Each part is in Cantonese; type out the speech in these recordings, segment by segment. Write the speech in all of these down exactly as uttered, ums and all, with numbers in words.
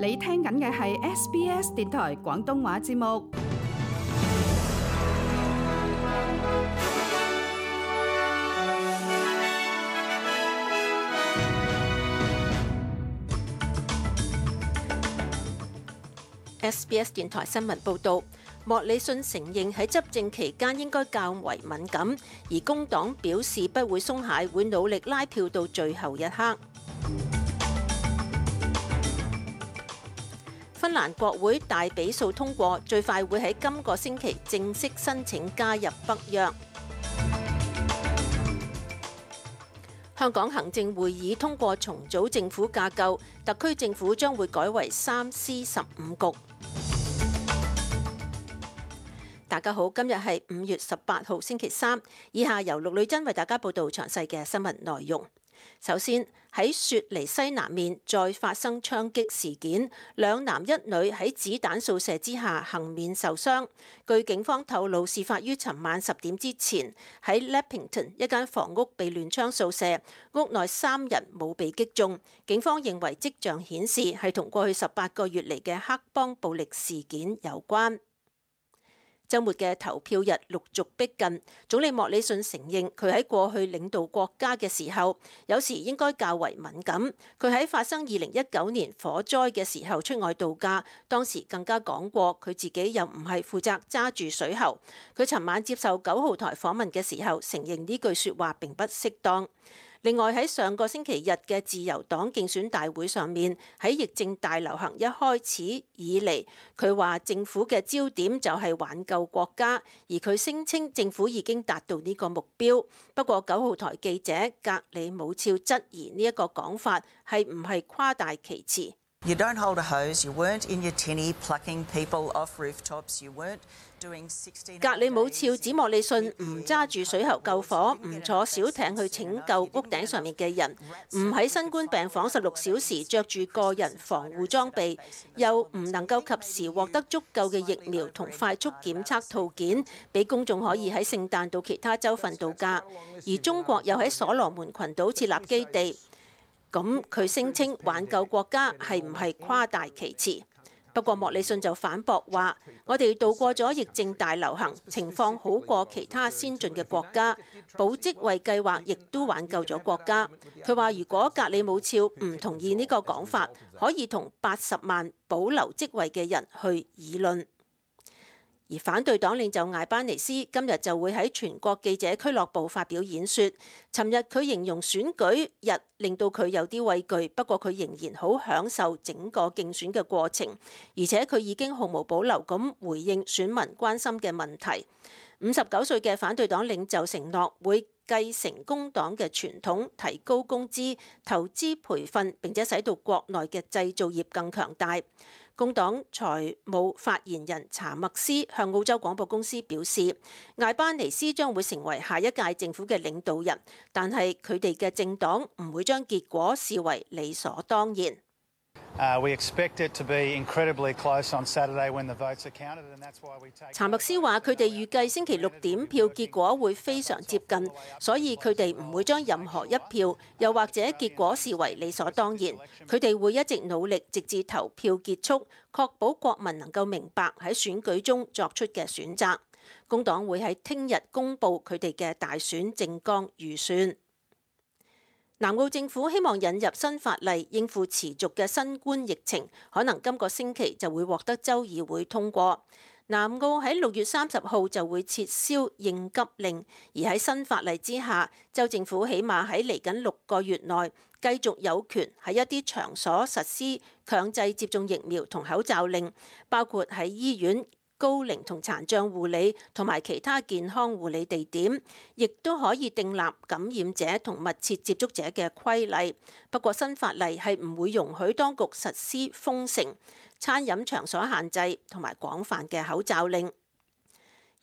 你聽緊嘅係 S B S 電台廣東話節目。S B S 電台新聞報導，莫里遜承認喺執政期間應該較為敏感，而工黨表示不會鬆懈，會努力拉票到最後一刻。芬蘭國會大比數通過，最快會喺今個星期正式申請加入北約。香港行政會議通過重組政府架構，特區政府將會改為三司十五局。大家好，今日係五月十八號星期三，以下由陸女珍為大家報道詳細嘅新聞內容。首先，喺雪梨西南面再發生槍擊事件，兩男一女喺子彈掃射之下幸免受傷。據警方透露，事發於尋晚十點之前，喺 Leppington 一間房屋被亂槍掃射，屋內三人冇被擊中。警方認為跡象顯示係同過去十八個月嚟嘅黑幫暴力事件有關。週末嘅投票日陸續逼近，總理莫里遜承認佢喺過去領導國家嘅時候，有時應該較為敏感。佢喺發生二零一九年火災嘅時候出外度假，當時更加講過佢自己又唔係負責揸住水喉。佢尋晚接受九號台訪問嘅時候，承認呢句説話並不適當。另外喺上個星期日嘅自由黨競選大會上面，喺疫症大流行一開始以嚟，佢話政府嘅焦點就係挽救國家，而佢聲稱政府已經達到呢個目標。不過九號台記者格里姆肖質疑呢一個講法係唔係誇大其詞。You don't hold a hose, you weren't in your tinny plucking people off rooftops, you weren't doing sixteen... 格里姆肖指莫里遜唔揸住水喉救火，唔坐小艇去拯救屋頂上面嘅人，唔喺新冠病房十六小時着住個人防護裝備，又唔能夠及時獲得足夠嘅疫苗同快速檢測套件，俾公眾可以喺聖誕到其他州份度假。而中國又喺所羅門群島設立基地。咁佢聲稱挽救國家係唔係誇大其詞？不過莫里遜就反駁話：我哋度過咗疫症大流行，情況好過其他先進嘅國家，保職位計劃亦都挽救咗國家。佢話如果格里姆肖唔同意呢個講法，可以同八十萬保留職位嘅人去議論。而反對黨領袖艾班尼斯今日就會喺全國記者俱樂部發表演說。尋日佢形容選舉日令到佢有啲畏懼，不過佢仍然好享受整個競選嘅過程，而且佢已經毫無保留咁回應選民關心嘅問題。五十九歲嘅反對黨領袖承諾會繼承工黨嘅傳統，提高工資、投資培訓，並且使到國內嘅製造業更強大。工黨財務發言人查默斯向澳洲廣播公司表示，艾班尼斯將會成為下一屆政府嘅領導人，但係佢哋嘅政黨唔會將結果視為理所當然。查默斯話：佢哋預計星期六點票結果會非常接近，所以佢哋唔會將任何一票又或者結果視為理所當然。佢哋會一直努力，直至投票結束，確保國民能夠明白喺選舉中作出嘅選擇。工黨會喺聽日公布佢哋嘅大選政綱預算。南澳政府希望引入新法例應付持續嘅新冠疫情，可能今個星期就會獲得州議會通過。南澳喺六月三十號就會撤銷應急令，而喺新法例之下，州政府起碼喺嚟緊六個月內繼續有權喺一啲場所實施強制接種疫苗同口罩令，包括喺醫院、高齡同殘障護理同埋其他健康護理地點，亦都可以訂立感染者同密切接觸者嘅規例。不過新法例係唔會容許當局實施封城、餐飲場所限制同埋廣泛嘅口罩令。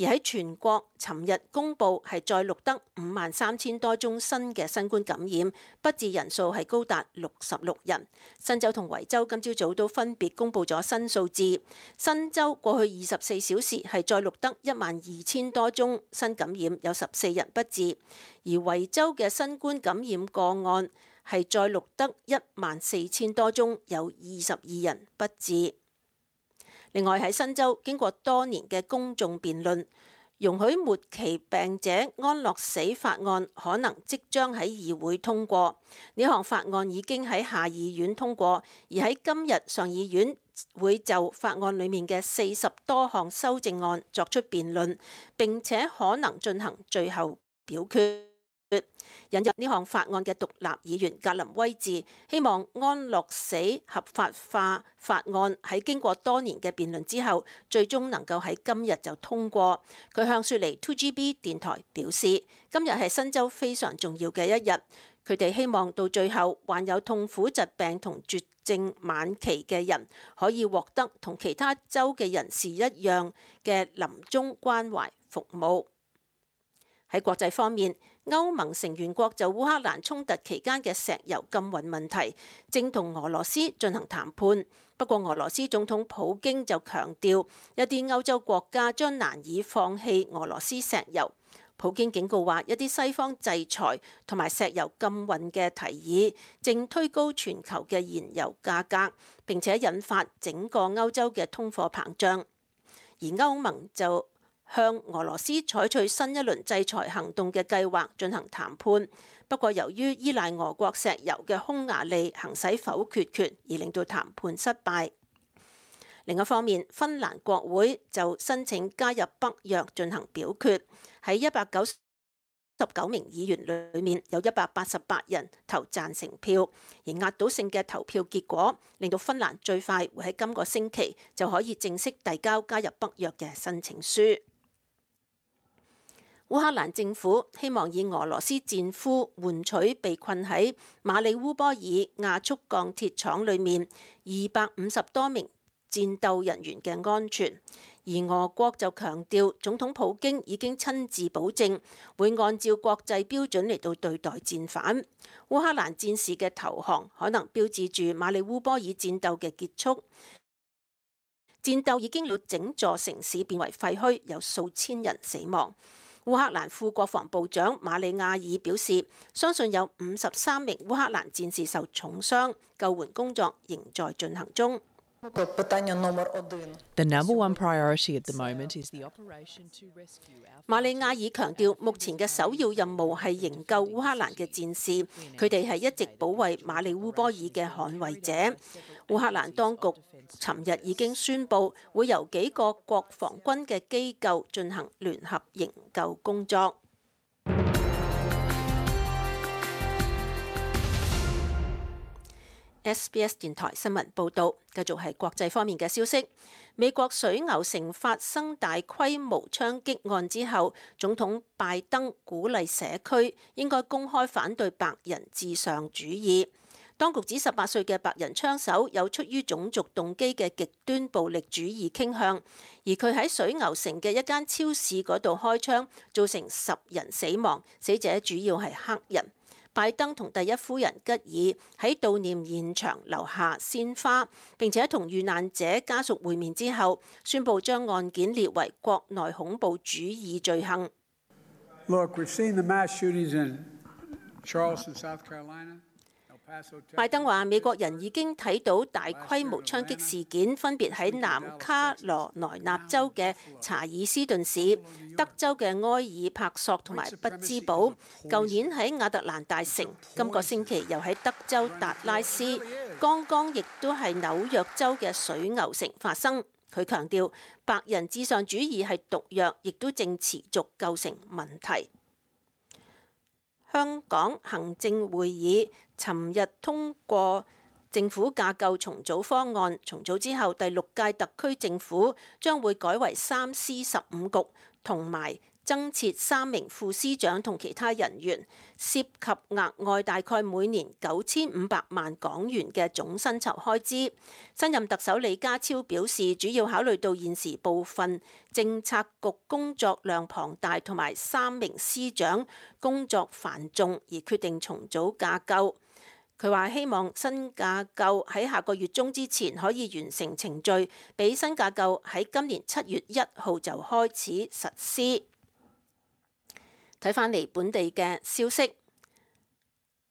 而喺全國，尋日公佈係再錄得五萬三千多宗新嘅新冠感染，不治人數係高達六十六人。新州同維州今朝早都分別公佈咗新數字。新州過去二十四小時係再錄得一萬二千多宗新感染，有十四人不治。而維州嘅新冠感染個案係再錄得一萬四千多宗，有二十二人不治。另外喺新州，經過多年嘅公眾辯論，容許末期病者安樂死法案可能即將喺議會通過。呢項法案已經喺下議院通過，而喺今日上議院會就法案裡面嘅四十多項修正案作出辯論，並且可能進行最後表決。引入呢項法案嘅獨立議員格林威治希望安樂死合法化法案喺經過多年嘅辯論之後，最終能夠喺今日就通過。佢向雪梨 two G B 電台表示，今日係新州非常重要嘅一日。佢哋希望到最後患有痛苦疾病同絕症晚期嘅人可以獲得同其他州嘅人士一樣嘅臨終關懷服務。喺國際方面，歐盟成員國就烏克蘭衝突期間嘅石油禁運問題正同俄羅斯進行談判。不過俄羅斯總統普京就強調，一啲歐洲國家將難以放棄俄羅斯石油。普京警告話，一啲西方制裁同埋石油禁運嘅提議正推高全球嘅燃油價格，並且引發整個歐洲嘅通貨膨脹。而歐盟就向俄羅斯採取新一輪制裁行動嘅計劃進行談判，不過由於依賴俄國石油嘅匈牙利行使否決權，而令到談判失敗。另一方面，芬蘭國會就申請加入北約進行表決，喺一百九十九名議員裏面有一百八十八人投贊成票，而壓倒性嘅投票結果令到芬蘭最快會喺今個星期就可以正式遞交加入北約嘅申請書。烏克蘭政府希望以俄羅斯戰俘換取被困喺馬里烏波爾亞速鋼鐵廠裏面二百五十多名戰鬥人員嘅安全，而俄國就強調總統普京已經親自保證會按照國際標準嚟到對待戰犯。烏克蘭戰士嘅投降可能標誌住馬里烏波爾戰鬥嘅結束。戰鬥已經令整座城市變為廢墟，有數千人死亡。烏克蘭副國防部長馬里亞爾表示，相信有五十三名烏克蘭戰士受重傷，救援工作仍在進行中。The number one priority at the moment is the operation to rescue our... 馬里亞爾強調，目前嘅首要任務係營救烏克蘭嘅戰士，佢哋係一直保衛馬里烏波爾嘅捍衛者。烏克蘭當局尋日已經宣布，會由幾個國防軍嘅機構進行聯合營救工作。S B S 電台新聞報導，繼續係國際方面嘅消息。美國水牛城發生大規模槍擊案之後，總統拜登鼓勵社區應該公開反對白人至上主義。當局指十八歲嘅白人槍手有出於種族動機嘅極端暴力主義傾向，而佢喺水牛城嘅一間超市嗰度開槍，造成十人死亡，死者主要係黑人。拜登同第一夫人吉爾喺悼念現場留下鮮花，並且同遇難者家屬會面之後，宣布將案件列為國內恐怖主義罪行。Look, we've seen the mass shootings in Charleston, South Carolina. 拜登話：美國人已經睇到大規模槍擊事件，分別喺南卡羅來納州嘅查爾斯頓市、德州嘅埃爾帕索同埋匹茲堡，舊年喺亞特蘭大城，今個星期又喺德州達拉斯，剛剛亦都係紐約州嘅水牛城發生。佢強調，白人至上主義係毒藥，亦都正持續構成問題。香港行政會議尋日通過政府架構重組方案，重組之後，第六屆特區政府將會改為三司十五局，同埋增設三名副司長同其他人員，涉及額外大概每年九千五百萬港元嘅總薪酬開支。新任特首李家超表示，主要考慮到現時部分政策局工作量龐大，同埋三名司長工作繁重，而決定重組架構。佢話希望新架構喺下個月中之前可以完成程序，俾新架構喺今年七月一號就開始實施。睇返嚟本地嘅消息，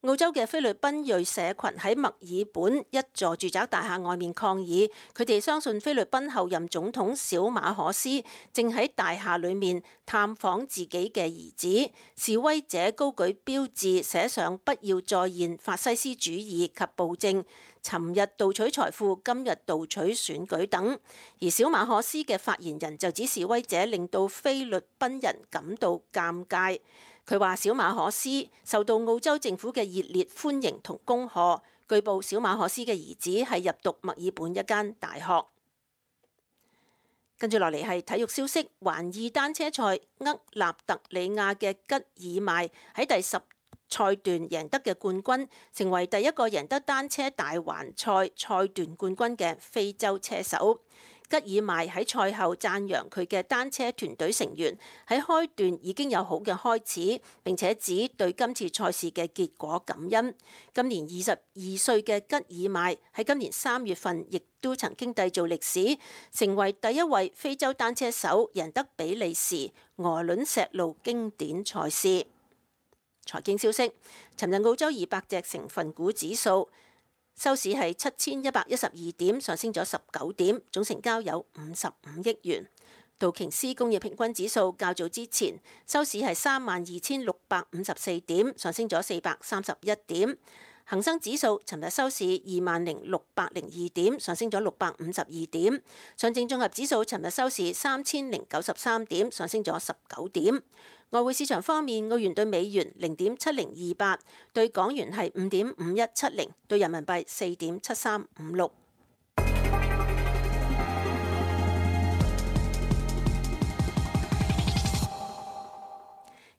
澳洲嘅菲律賓裔社群喺墨爾本一座住宅大廈外面抗議，佢哋相信菲律賓候任總統小馬可斯正喺大廈裡面探訪自己嘅兒子。示威者高舉標誌，寫上不要再現法西斯主義及暴政，尋日盜取財富，今日盜取選舉等。而小馬可斯嘅發言人就指示威者令到菲律賓人感到尷尬。佢話小馬可斯受到澳洲政府嘅熱烈歡迎同恭賀。據報小馬可斯嘅兒子係入讀墨爾本一間大學。跟住落嚟係體育消息，環意單車賽厄納特里亞嘅吉爾邁喺第十賽段贏得嘅冠軍，成為第一個贏得單車大環賽賽段冠軍嘅非洲車手。吉爾邁喺賽後讚揚佢嘅單車團隊成員喺開段已經有好嘅開始，並且指對今次賽事嘅結果感恩。今年二十二歲嘅吉爾邁喺今年三月份亦都曾經締造歷史，成為第一位非洲單車手贏得比利時鵝卵石路經典賽事。財經消息，尋日澳洲二百隻成分股指數收市係七千一百一十二點，上升咗十九點，總成交有五十五億元。道瓊斯工業平均指數較早之前收市係三萬二千六百五十四點，上升咗四百三十一點。恒生指數尋日收市二萬零六百零二點，上升咗六百五十二點。上證綜合指數尋日收市三千零九十三點，上升咗十九點。外匯市場方面，澳元對美元零點七零二八，對港元係五點五一七零，對人民幣四點七三五六。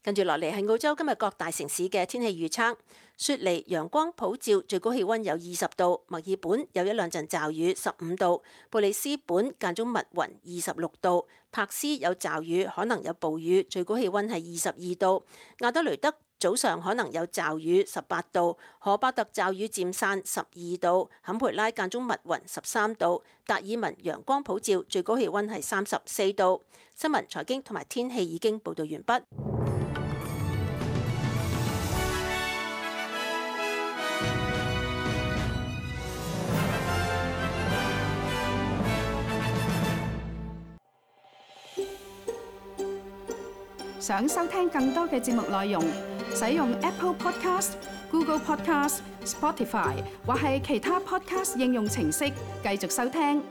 跟住落嚟係澳洲今日各大城市嘅天氣預測。雪梨陽光普照，最高氣溫有二十度；墨爾本有一兩陣驟雨，十五度；布里斯本間中密雲，二十六度；柏斯有驟雨，可能有暴雨，最高氣溫係二十二度；亞德雷德早上可能有驟雨，十八度；荷巴特驟雨漸散，十二度；坎培拉間中密雲，十三度；達爾文陽光普照，最高氣溫係三十四度。新聞、財經同埋天氣已經報道完畢。想收聽更多嘅節目內容，使用 Apple Podcast、Google Podcast、Spotify 或係其他 Podcast 應用程式繼續收聽。